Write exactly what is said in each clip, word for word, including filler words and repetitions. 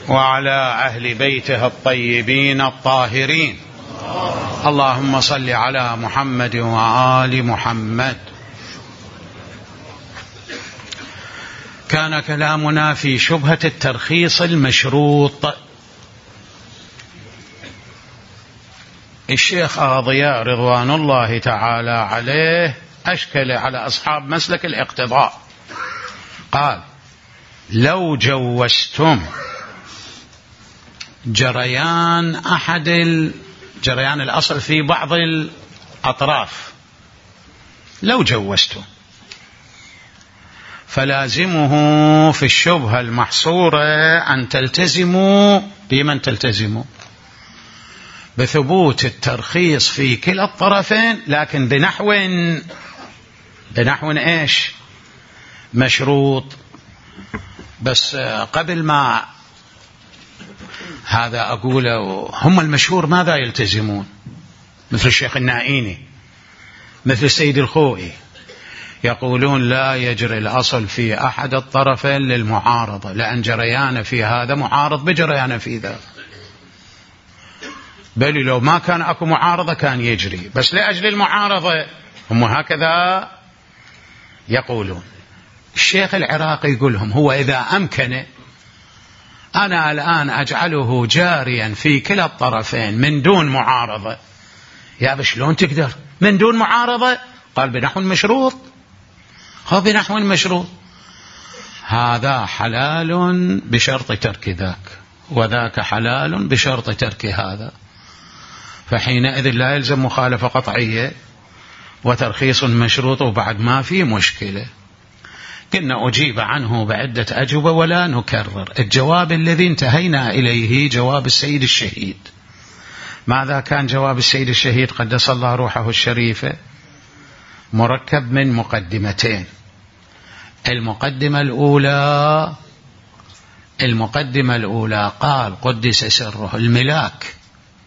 وعلى أهل بيته الطيبين الطاهرين. اللهم صل على محمد وآل محمد. كان كلامنا في شبهة الترخيص المشروط. الشيخ أغاضياء رضوان الله تعالى عليه أشكل على أصحاب مسلك الاقتضاء، قال: لو جوزتم جريان أحد جريان الأصل في بعض الأطراف، لو جوزتم، فلازمه في الشبهة المحصورة أن تلتزموا بمن تلتزموا بثبوت الترخيص في كلا الطرفين، لكن بنحو بنحو إيش؟ مشروط. بس قبل ما هذا أقوله، هم المشهور ماذا يلتزمون؟ مثل الشيخ النائيني، مثل السيد الخوئي، يقولون لا يجري الأصل في أحد الطرفين للمعارضة، لأن جريان في هذا معارض بجريان في ذا، بل لو ما كان أكو معارضة كان يجري، بس لأجل المعارضة هم هكذا يقولون. الشيخ العراقي يقولهم هو إذا أمكن أنا الآن أجعله جاريا في كلا الطرفين من دون معارضة. يا بشلون تقدر من دون معارضة؟ قال: بنحو المشروط. هو بنحو المشروط، هذا حلال بشرط ترك ذاك، وذاك حلال بشرط ترك هذا، فحينئذ لا يلزم مخالفة قطعية وترخيص مشروط، وبعد ما في مشكلة. كنا أجيب عنه بعدة أجوبة ولا نكرر. الجواب الذي انتهينا إليه جواب السيد الشهيد. ماذا كان جواب السيد الشهيد قدس الله روحه الشريفة؟ مركب من مقدمتين. المقدمة الأولى المقدمة الأولى قال قدس سره الملاك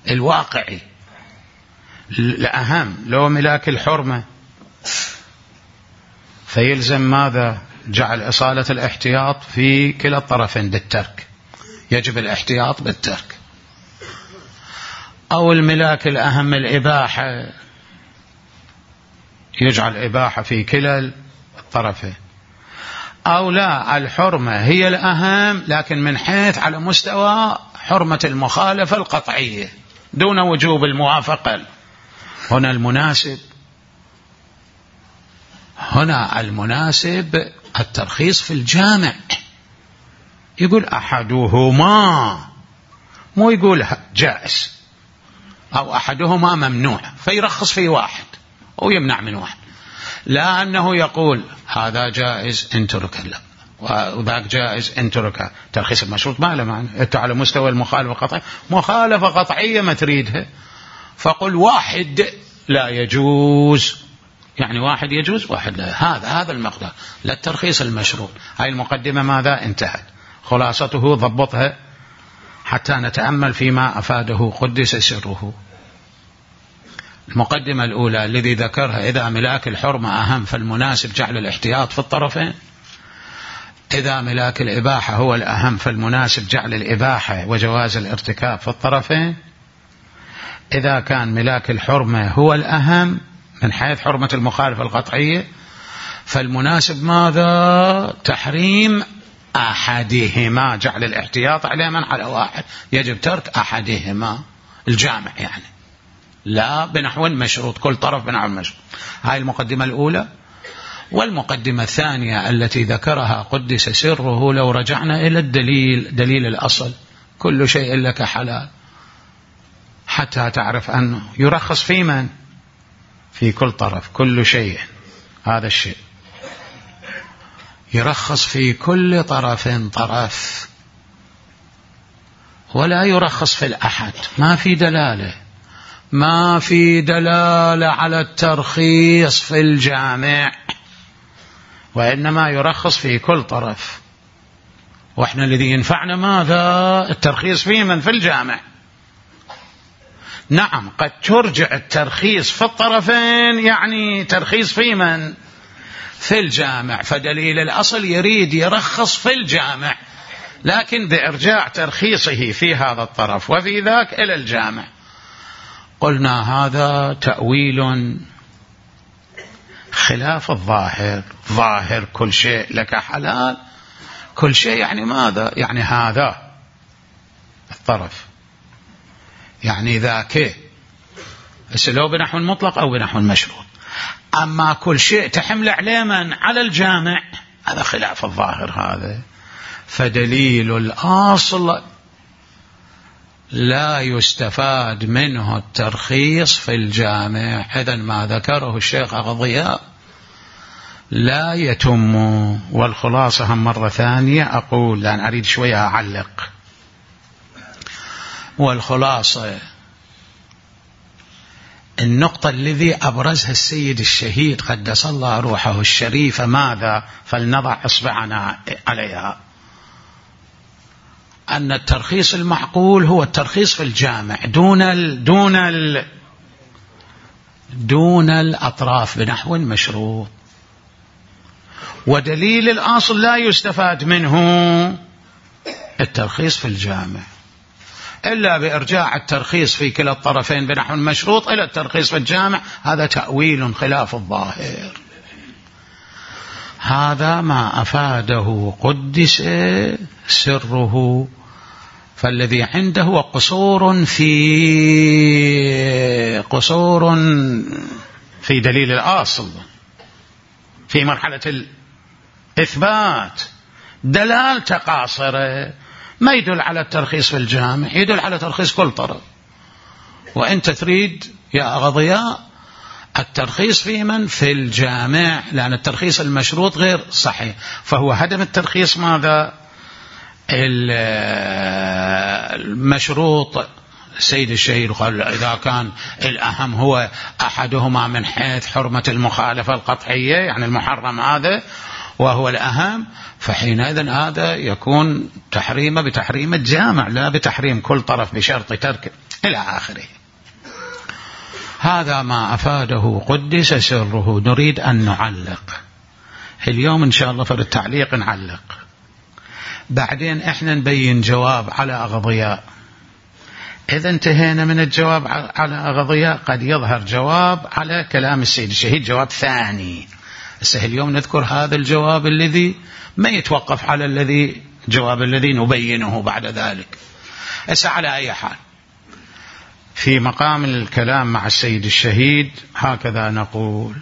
الواقعي الأهم، لو ملاك الحرمة فيلزم ماذا؟ جعل إصالة الاحتياط في كلا الطرفين بالترك، يجب الاحتياط بالترك. أو الملاك الأهم الإباحة، يجعل إباحة في كلا الطرفين. أو لا، الحرمة هي الأهم، لكن من حيث على مستوى حرمة المخالفة القطعية دون وجوب الموافقة. هنا المناسب هنا المناسب الترخيص في الجامع، يقول أحدهما، مو يقول جائز أو أحدهما ممنوع فيرخص في واحد أو يمنع من واحد، لا أنه يقول هذا جائز انترك لا وذاك جائز انترك. ترخيص المشروط ما له معنى. أنت على مستوى المخالفة القطعية، مخالفة قطعية ما تريدها، فقل واحد لا يجوز، يعني واحد يجوز واحد لا. هذا هذا المقدار، لا الترخيص المشروط. هاي المقدمة ماذا انتهت، خلاصته ضبطها حتى نتأمل فيما أفاده قدس سره. المقدمة الأولى الذي ذكرها: إذا ملاك الحرمة أهم فالمناسب جعل الاحتياط في الطرفين، إذا ملاك الإباحة هو الأهم فالمناسب جعل الإباحة وجواز الارتكاب في الطرفين، إذا كان ملاك الحرمة هو الأهم من حيث حرمة المخالفة القطعية فالمناسب ماذا؟ تحريم أحدهما، جعل الاحتياط على من على واحد، يجب ترك أحدهما الجامع، يعني لا بنحو مشروط، كل طرف بنحو مشروط. هاي المقدمة الأولى. والمقدمة الثانية التي ذكرها قدس سره، لو رجعنا إلى الدليل، دليل الأصل: كل شيء لك حلال، حتى تعرف أنه يرخص في من؟ في كل طرف، كل شيء، هذا الشيء يرخص في كل طرف طرف، ولا يرخص في الأحد. ما في دلالة ما في دلالة على الترخيص في الجامع، وإنما يرخص في كل طرف. وإحنا الذي ينفعنا ماذا؟ الترخيص في من؟ في الجامع. نعم، قد ترجع الترخيص في الطرفين، يعني ترخيص في من؟ في الجامع. فدليل الأصل يريد يرخص في الجامع، لكن بإرجاع ترخيصه في هذا الطرف وفي ذاك إلى الجامع. قلنا هذا تأويل خلاف الظاهر. ظاهر كل شيء لك حلال، كل شيء يعني ماذا؟ يعني هذا الطرف، يعني ذاك، لو بنحو المطلق أو بنحو المشروط. أما كل شيء تحمل عليه من على الجامع، هذا خلاف الظاهر هذا. فدليل الأصل لا يستفاد منه الترخيص في الجامع. إذن ما ذكره الشيخ أغضياء لا يتم. والخلاصة هم مرة ثانية أقول، لأن أريد شوية أعلق. والخلاصة النقطة الذي أبرزها السيد الشهيد قدس الله روحه الشريفة ماذا؟ فلنضع إصبعنا عليها، أن الترخيص المعقول هو الترخيص في الجامع دون ال دون ال دون الأطراف بنحو المشروط. ودليل الأصل لا يستفاد منه الترخيص في الجامع إلا بإرجاع الترخيص في كلا الطرفين بنحو المشروط إلى الترخيص في الجامع. هذا تأويل خلاف الظاهر. هذا ما أفاده قدس سره. فالذي عنده هو قصور في قصور في دليل الأصل في مرحلة الإثبات. دلالة قاصرة، ما يدل على الترخيص في الجامع، يدل على ترخيص كل طرف. وأنت تريد يا أغضياء الترخيص في من؟ في الجامع، لأن الترخيص المشروط غير صحيح. فهو هدم الترخيص ماذا؟ المشروط. السيد الشهيد قال إذا كان الأهم هو أحدهما من حيث حرمة المخالفة القطعية، يعني المحرم هذا وهو الأهم، فحينئذ هذا يكون تحريمه بتحريم الجامع لا بتحريم كل طرف بشرط ترك إلى آخره. هذا ما أفاده قدس سره. نريد أن نعلق اليوم إن شاء الله، في التعليق نعلق، بعدين إحنا نبين جواب على أغضياء. إذا انتهينا من الجواب على أغضياء قد يظهر جواب على كلام السيد الشهيد، جواب ثاني. اليوم نذكر هذا الجواب الذي ما يتوقف على الذي جواب الذي نبينه بعد ذلك. أسا على أي حال في مقام الكلام مع السيد الشهيد هكذا نقول.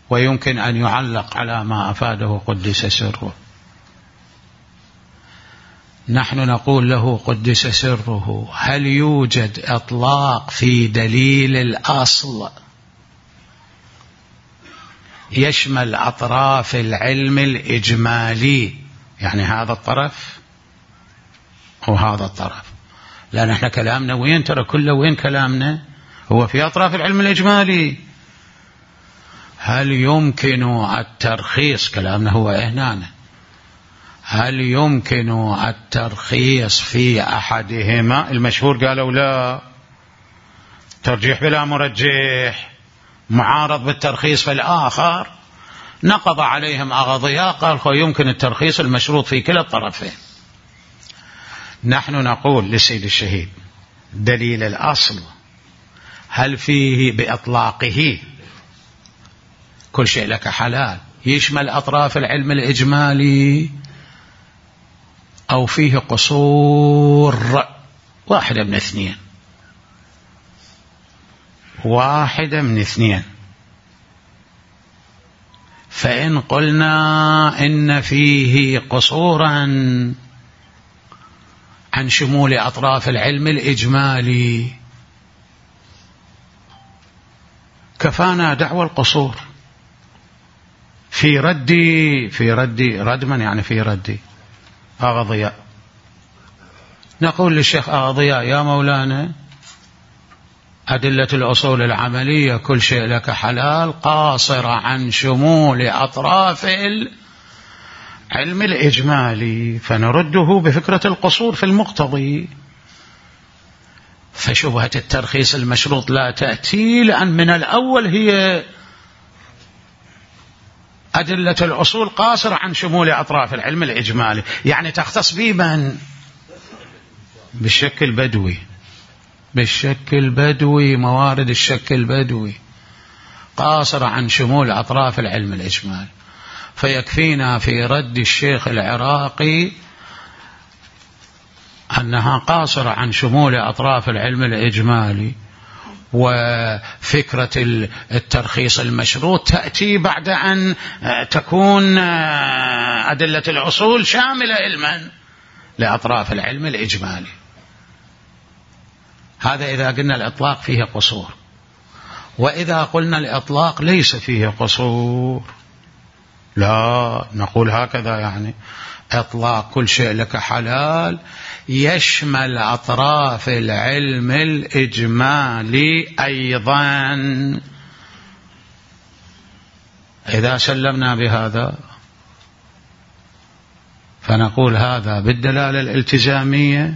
ويمكن أن يعلق على ما أفاده قدس سره. نحن نقول له قدس سره: هل يوجد إطلاق في دليل الأصل يشمل أطراف العلم الإجمالي، يعني هذا الطرف وهذا الطرف؟ لأن احنا كلامنا وين؟ ترى كله وين كلامنا؟ هو في أطراف العلم الإجمالي. هل يمكن الترخيص؟ كلامنا هو هنا. هل يمكن الترخيص في أحدهما؟ المشهور قالوا لا، ترجيح بلا مرجح، معارض بالترخيص في الآخر. نقض عليهم أغضياء قال يمكن الترخيص المشروط في كلا الطرفين. نحن نقول للسيد الشهيد دليل الأصل هل فيه بإطلاقه كل شيء لك حلال يشمل أطراف العلم الإجمالي، أو فيه قصور؟ واحدة من اثنين، واحدة من اثنين. فإن قلنا إن فيه قصورا عن شمول أطراف العلم الإجمالي كفانا دعوى القصور في ردي في ردي ردما، يعني في ردي أغضياء. نقول للشيخ أغضياء: يا مولانا، أدلة الأصول العملية كل شيء لك حلال قاصرة عن شمول أطراف العلم الإجمالي، فنرده بفكرة القصور في المقتضي. فشبهة الترخيص المشروط لا تأتي، لأن من الأول هي أدلة الأصول قاصرة عن شمول أطراف العلم الإجمالي، يعني تختص بمن؟ بالشك البدوي، بالشك البدوي، موارد الشك البدوي قاصرة عن شمول أطراف العلم الإجمالي. فيكفينا في رد الشيخ العراقي أنها قاصرة عن شمول أطراف العلم الإجمالي، وفكرة الترخيص المشروط تأتي بعد أن تكون أدلة الأصول شاملة علما لأطراف العلم الإجمالي. هذا إذا قلنا الإطلاق فيه قصور. وإذا قلنا الإطلاق ليس فيه قصور، لا نقول هكذا، يعني إطلاق كل شيء لك حلال يشمل أطراف العلم الإجمالي أيضا. إذا سلمنا بهذا فنقول هذا بالدلالة الالتزامية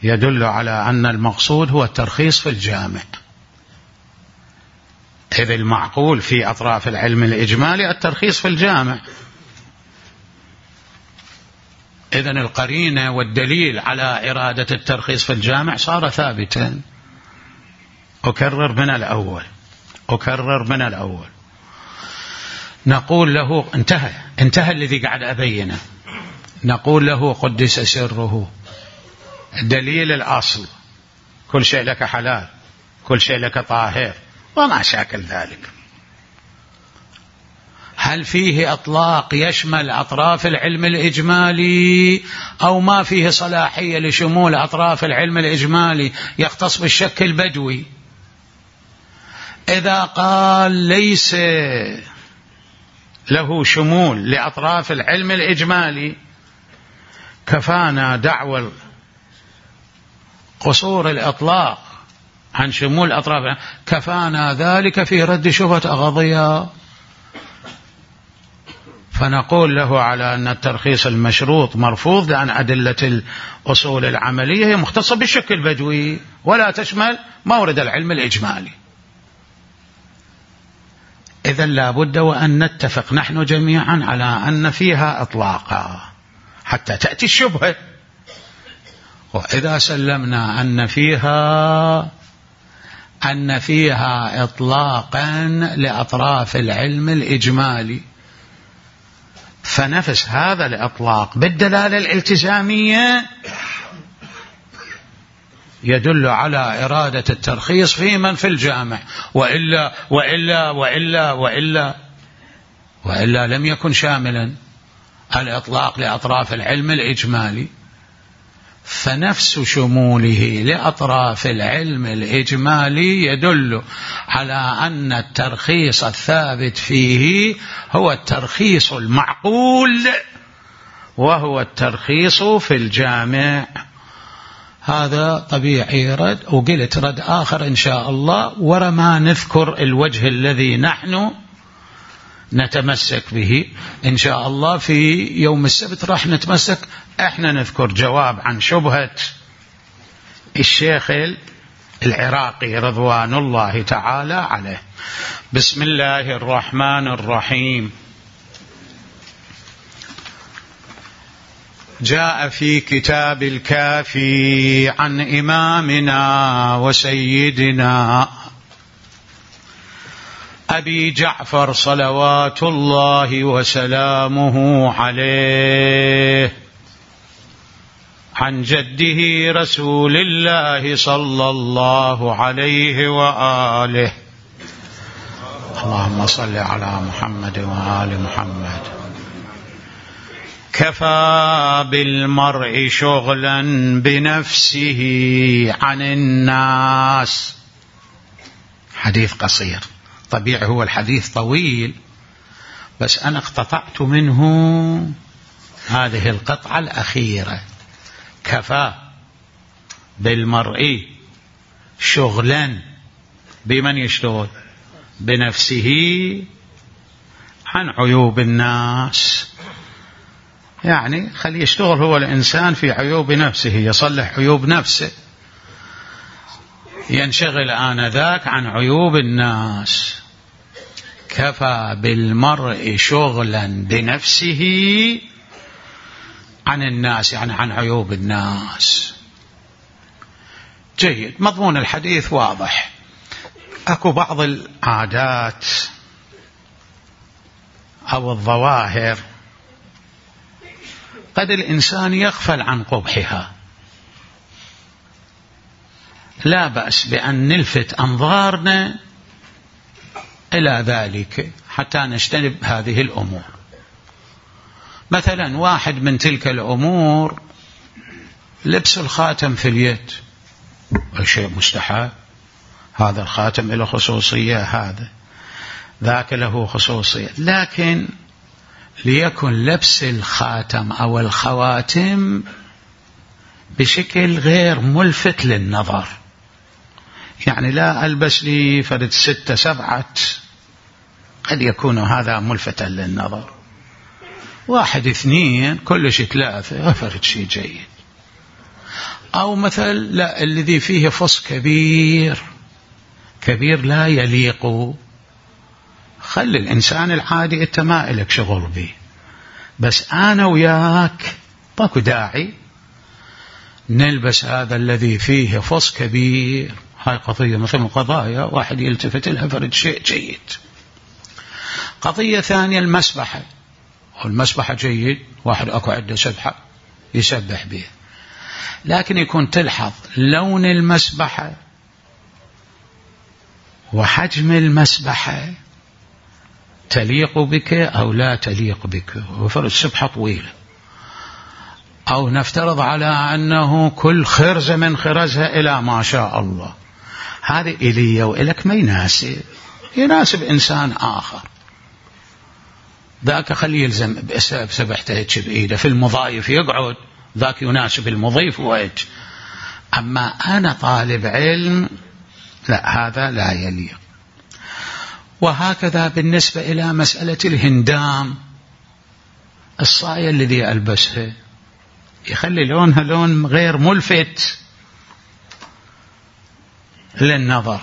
يدل على أن المقصود هو الترخيص في الجامع، إذ المعقول في أطراف العلم الإجمالي الترخيص في الجامع. إذن القرينة والدليل على إرادة الترخيص في الجامع صار ثابتا. أكرر من الأول أكرر من الأول نقول له انتهى انتهى الذي قاعد أبينه. نقول له قدس سره، دليل الأصل كل شيء لك حلال، كل شيء لك طاهر، وما شاكل ذلك. هل فيه إطلاق يشمل أطراف العلم الإجمالي أو ما فيه صلاحية لشمول أطراف العلم الإجمالي يختص بالشك البدوي؟ إذا قال ليس له شمول لأطراف العلم الإجمالي كفانا دعوى قصور الإطلاق عن شمول أطراف، كفانا ذلك في رد شبهة أغضية. فنقول له على أن الترخيص المشروط مرفوض لأن أدلة الأصول العملية هي مختصة بالشك البدوي ولا تشمل مورد العلم الإجمالي. إذن لا بد وأن نتفق نحن جميعا على أن فيها إطلاقا حتى تأتي الشبهة. وإذا سلمنا أن فيها أن فيها إطلاقا لأطراف العلم الإجمالي، فنفس هذا الإطلاق بالدلالة الالتزامية يدل على إرادة الترخيص في من في الجامع، وإلا وإلا وإلا وإلا وإلا لم يكن شاملا الإطلاق لأطراف العلم الإجمالي. فنفس شموله لأطراف العلم الإجمالي يدل على أن الترخيص الثابت فيه هو الترخيص المعقول، وهو الترخيص في الجامع. هذا طبيعي رد. وقلت رد آخر إن شاء الله، ورما نذكر الوجه الذي نحن نتمسك به إن شاء الله في يوم السبت. راح نتمسك احنا نذكر جواب عن شبهة الشيخ العراقي رضوان الله تعالى عليه. بسم الله الرحمن الرحيم. جاء في كتاب الكافي عن إمامنا وسيدنا أبي جعفر صلوات الله وسلامه عليه عن جده رسول الله صلى الله عليه وآله. اللهم صل على محمد وآل محمد. كفى بالمرء شغلا بنفسه عن الناس. حديث قصير، طبيعي هو الحديث طويل، بس أنا اقتطعت منه هذه القطعة الأخيرة. كفى بالمرء شغلا، بمن يشتغل؟ بنفسه عن عيوب الناس. يعني خلي يشتغل هو الإنسان في عيوب نفسه، يصلح عيوب نفسه، ينشغل آنذاك عن عيوب الناس. كفى بالمرء شغلا بنفسه عن الناس، يعني عن عيوب الناس. جيد، مضمون الحديث واضح. أكو بعض العادات أو الظواهر قد الإنسان يغفل عن قبحها، لا بأس بأن نلفت أنظارنا إلى ذلك حتى نجتنب هذه الأمور. مثلا واحد من تلك الأمور لبس الخاتم في اليد، شيء مستحب، هذا الخاتم له خصوصية، هذا ذاك له خصوصية، لكن ليكن لبس الخاتم أو الخواتم بشكل غير ملفت للنظر. يعني لا ألبس لي فرد ستة سبعة قد يكون هذا ملفتا للنظر، واحد اثنين كلش ثلاثة فرد شيء جيد. أو مثل لا الذي فيه فص كبير كبير لا يليق، خلي الإنسان العادي أنت ما إلك شغل به، بس أنا وياك ماكو داعي نلبس هذا الذي فيه فص كبير. هاي قضية مثل قضايا واحد يلتفت لها فرد شيء جيد. قضية ثانية المسبحة، والمسبحة جيد، واحد أكو عنده سبحة يسبح بها، لكن يكون تلحظ لون المسبحة وحجم المسبحة تليق بك أو لا تليق بك. وفرد سبحة طويلة، أو نفترض على أنه كل خرزة من خرزها إلى ما شاء الله، هذا إلي وإلك ما يناسب، يناسب إنسان آخر. ذاك خليه يلزم بسبحته هيك بإيده، في المضايف يقعد، ذاك يناسب المضيف وهيك. أما أنا طالب علم لا، هذا لا يليق. وهكذا بالنسبة إلى مسألة الهندام، الصاية الذي ألبسها يخلي لونها لون غير ملفت للنظر.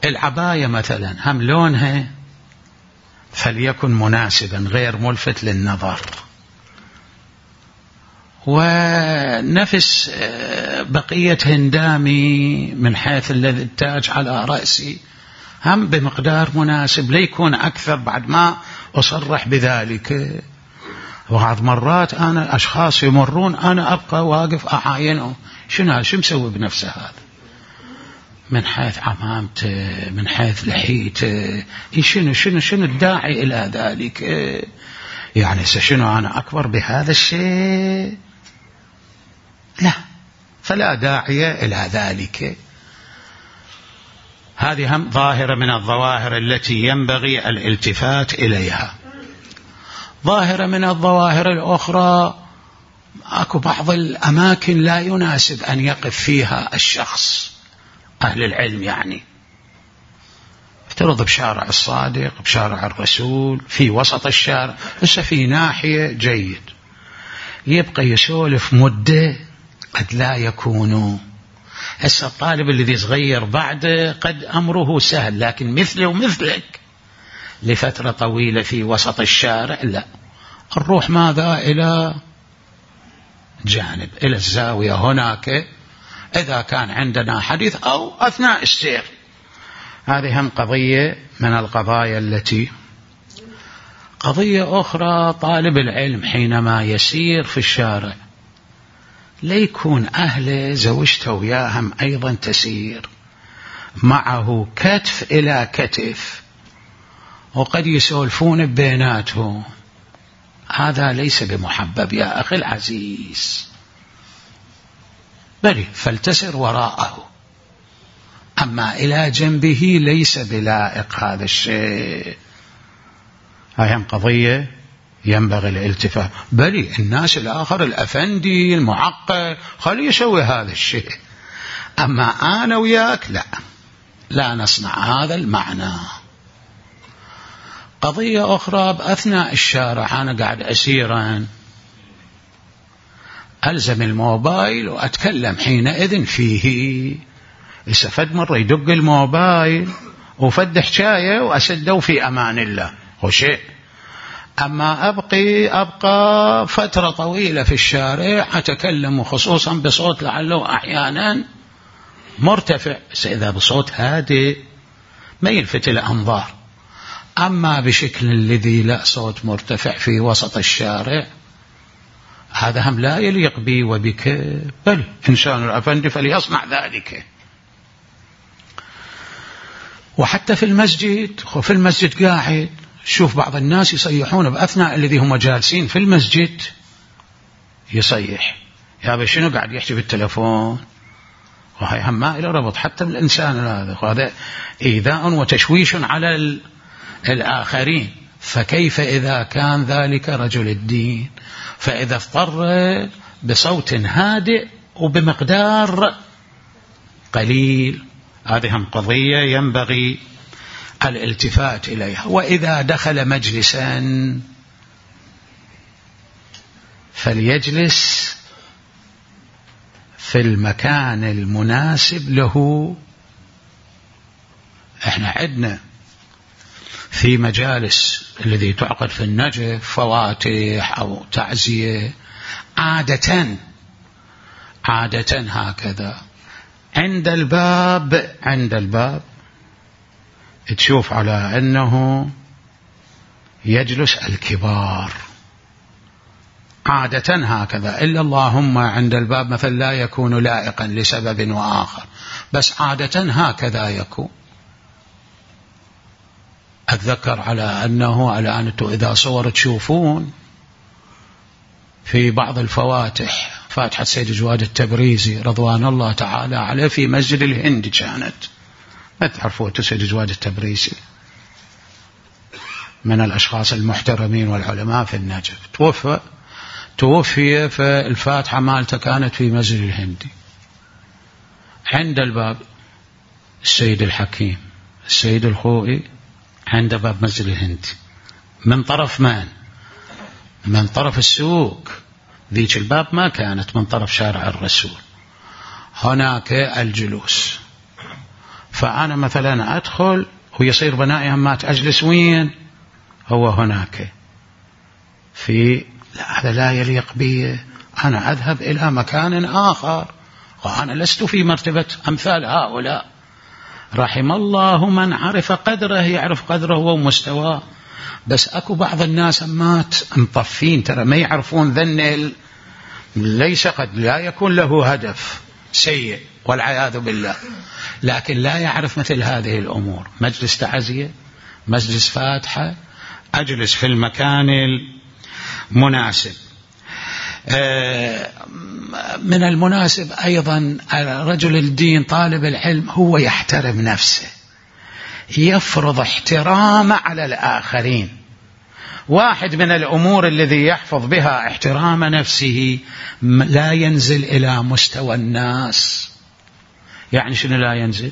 العباية مثلا هم لونها فليكن مناسبا غير ملفت للنظر. ونفس بقية هندامي من حيث الذي التاج على رأسي هم بمقدار مناسب، ليكون أكثر بعد ما أصرح بذلك. وبعض مرات أنا أشخاص يمرون أنا أبقى واقف أعاينهم، شنو شو مسوي بنفسه هذا، من حيث عمامته، من حيث لحيته، شنو شنو شنو الداعي إلى ذلك؟ يعني شنو أنا أكبر بهذا الشيء؟ لا، فلا داعي إلى ذلك. هذه هم ظاهرة من الظواهر التي ينبغي الالتفات إليها. ظاهرة من الظواهر الأخرى، أكو بعض الأماكن لا يناسب أن يقف فيها الشخص، أهل العلم يعني، افترض بشارع الصادق، بشارع الرسول، في وسط الشارع، بس في ناحية جيد، يبقى يسولف مدة قد لا يكون. هسه الطالب الذي صغير بعده قد أمره سهل، لكن مثله ومثلك لفترة طويلة في وسط الشارع لا، نروح ماذا إلى جانب، إلى الزاوية هناك إذا كان عندنا حديث أو أثناء السير. هذه هم قضية من القضايا التي. قضية أخرى، طالب العلم حينما يسير في الشارع ليكون أهله زوجته وياهم أيضا تسير معه كتف إلى كتف، وقد يسولفون بيناتهم، هذا ليس بمحبب يا أخي العزيز، بل فلتسر وراءه، أما إلى جنبه ليس بلائق هذا الشيء. هاي هم قضية ينبغي الالتفات. بل الناس الآخر الأفندي المعقل خليه يسوي هذا الشيء، أما أنا وياك لا، لا نصنع هذا المعنى. قضية أخرى، بأثناء الشارع أنا قاعد أسيرا ألزم الموبايل وأتكلم حينئذ فيه، استفد مرة يدق الموبايل وفد حكاية وأسدوا في أمان الله هو شيء. أما أبقي أبقى فترة طويلة في الشارع أتكلم خصوصا بصوت لعله أحيانا مرتفع، بس إذا بصوت هادئ ما يلفت الأنظار. أما بشكل الذي لا صوت مرتفع في وسط الشارع هذا هم لا يليق بي وبك، بل إنسان الأفندي فليصنع ذلك. وحتى في المسجد، في المسجد قاعد شوف بعض الناس يصيحون بأثناء الذي هم جالسين في المسجد، يصيح يا بشنو قاعد يحكي بالتلفون، وهي هم ما إلى ربط حتى بالإنسان هذا، وهذا إيذاء وتشويش على الآخرين. فكيف إذا كان ذلك رجل الدين؟ فإذا اضطر بصوت هادئ وبمقدار قليل، هذه هم قضية ينبغي الالتفات إليها. وإذا دخل مجلسا فليجلس في المكان المناسب له. احنا عندنا في مجالس الذي تعقد في النجف فواتح أو تعزية عادة عادة هكذا عند الباب عند الباب تشوف على أنه يجلس الكبار عادة هكذا، إلا اللهم عند الباب مثلا لا يكون لائقا لسبب وآخر، بس عادة هكذا يكون. أتذكر على أنه على أنتم إذا صور تشوفون في بعض الفواتح، فاتحة سيد جواد التبريزي رضوان الله تعالى عليه في مسجد الهند كانت، ما تعرفوا سيد جواد التبريزي من الأشخاص المحترمين والعلماء في النجف، توفى توفي فالفاتحة مالته كانت في مسجد الهندي. عند الباب السيد الحكيم السيد الخوئي عند باب مسجد الهندي، من طرف من؟ من طرف السوق، ذيك الباب ما كانت من طرف شارع الرسول، هناك الجلوس. فأنا مثلا أدخل ويصير بنائي همات أجلس وين؟ هو هناك في، لا هذا لا يليق بي، أنا أذهب إلى مكان آخر، وأنا لست في مرتبة أمثال هؤلاء. رحم الله من عرف قدره، يعرف قدره ومستواه. بس أكو بعض الناس أمات مطفين ترى ما يعرفون ذن، ليس قد لا يكون له هدف سيء والعياذ بالله، لكن لا يعرف مثل هذه الأمور. مجلس تعزية، مجلس فاتحة، أجلس في المكان المناسب. من المناسب أيضا رجل الدين طالب العلم هو يحترم نفسه، يفرض احترام على الآخرين. واحد من الأمور الذي يحفظ بها احترام نفسه لا ينزل إلى مستوى الناس. يعني شنو لا ينزل؟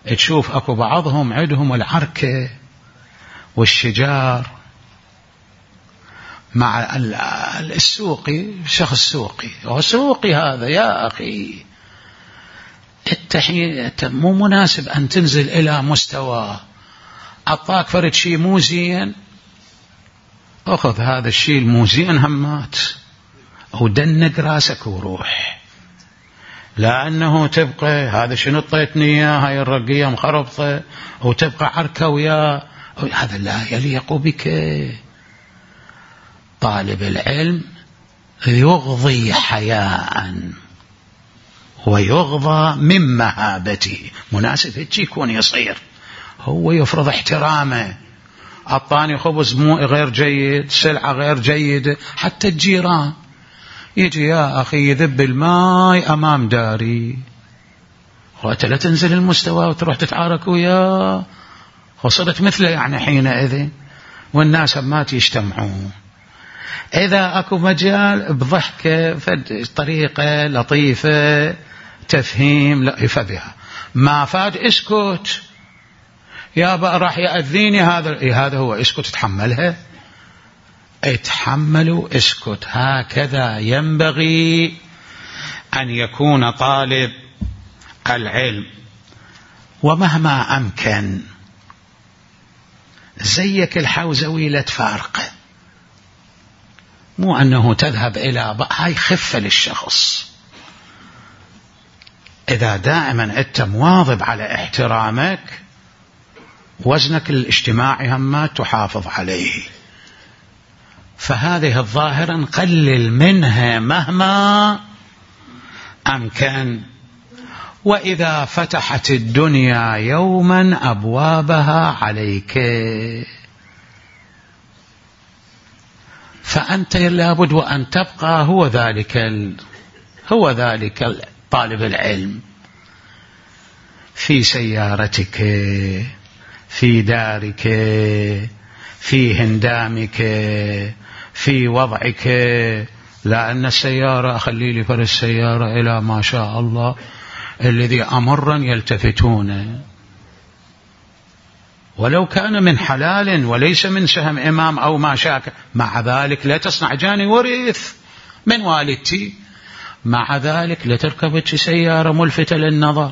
تشوف أكو بعضهم عندهم العركة والشجار مع السوقي، شخص سوقي وسوقي هذا يا أخي التحية مو مناسب أن تنزل إلى مستوى. أعطاك فرد شيء مو زين، أخذ هذا الشيء المو زين همات ودنق راسك وروح، لأنه تبقى هذا شنو طيتني هاي الرقية مخربطة وتبقى عركة ويا هذا لا يليق بك. طالب العلم يغضي حياء ويغضى من مهابته، مناسب هيك يكون يصير، هو يفرض احترامه. أعطاني خبز مو غير جيد، سلعة غير جيدة، حتى الجيران يجي يا أخي يذب الماء أمام داري، وأنت لا تنزل المستوى وتروح تتعارك وياه، وصلت مثله يعني حينئذ، والناس ما يجتمعون. إذا أكو مجال بضحكة طريقة لطيفة تفهيم لطيفة بها، ما فاد اسكت يا بقى راح يأذيني هذا إيه هذا هو اسكت، تحملها اتحملوا اسكت. هكذا ينبغي أن يكون طالب العلم. ومهما أمكن زيك الحوزوي لا تفارقه، مو أنه تذهب إلى ب... هاي خفة للشخص. إذا دائما أنت مواظب على احترامك، وزنك الاجتماعي هم ما تحافظ عليه. فهذه الظاهرة نقلل منها مهما أمكن. وإذا فتحت الدنيا يوما أبوابها عليك، فأنت لابد وأن تبقى هو ذلك ال... هو ذلك طالب العلم، في سيارتك، في دارك، في هندامك، في وضعك. لأن السيارة أخلي لي فر السيارة إلى ما شاء الله الذي أمرا يلتفتون، ولو كان من حلال وليس من سهم إمام أو ما شاك، مع ذلك لا تصنع جاني ورث من والدتي، مع ذلك لا تركبت سيارة ملفتة للنظر،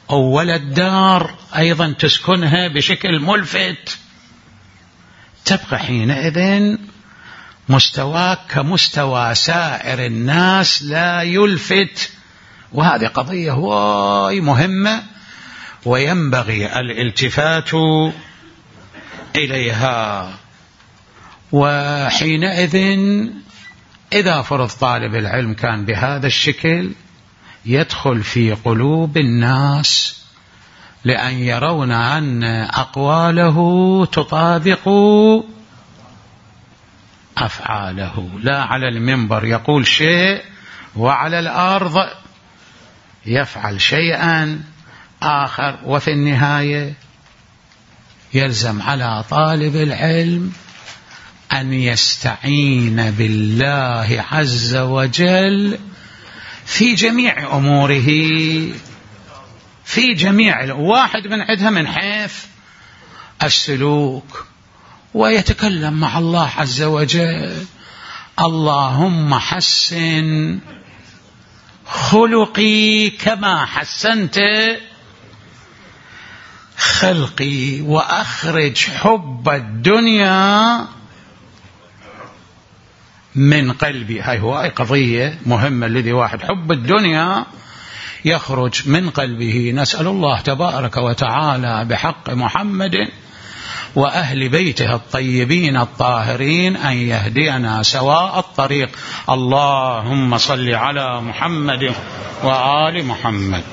أو ولد دار أيضا تسكنها بشكل ملفت. تبقى حينئذ مستواك كمستوى سائر الناس لا يلفت. وهذه قضية واي مهمة وينبغي الالتفات إليها. وحينئذ إذا فرض طالب العلم كان بهذا الشكل يدخل في قلوب الناس، لأن يرون أن أقواله تطابق أفعاله، لا على المنبر يقول شيء وعلى الأرض يفعل شيئا آخر. وفي النهاية يلزم على طالب العلم أن يستعين بالله عز وجل في جميع أموره، في جميع واحد من عدها من حيث السلوك، ويتكلم مع الله عز وجل: اللهم حسن خلقي كما حسنت خلقي، وأخرج حب الدنيا من قلبي. هاي هو أي قضية مهمة، الذي واحد حب الدنيا يخرج من قلبه. نسأل الله تبارك وتعالى بحق محمد وأهل بيته الطيبين الطاهرين أن يهدينا سواء الطريق. اللهم صل على محمد وآل محمد.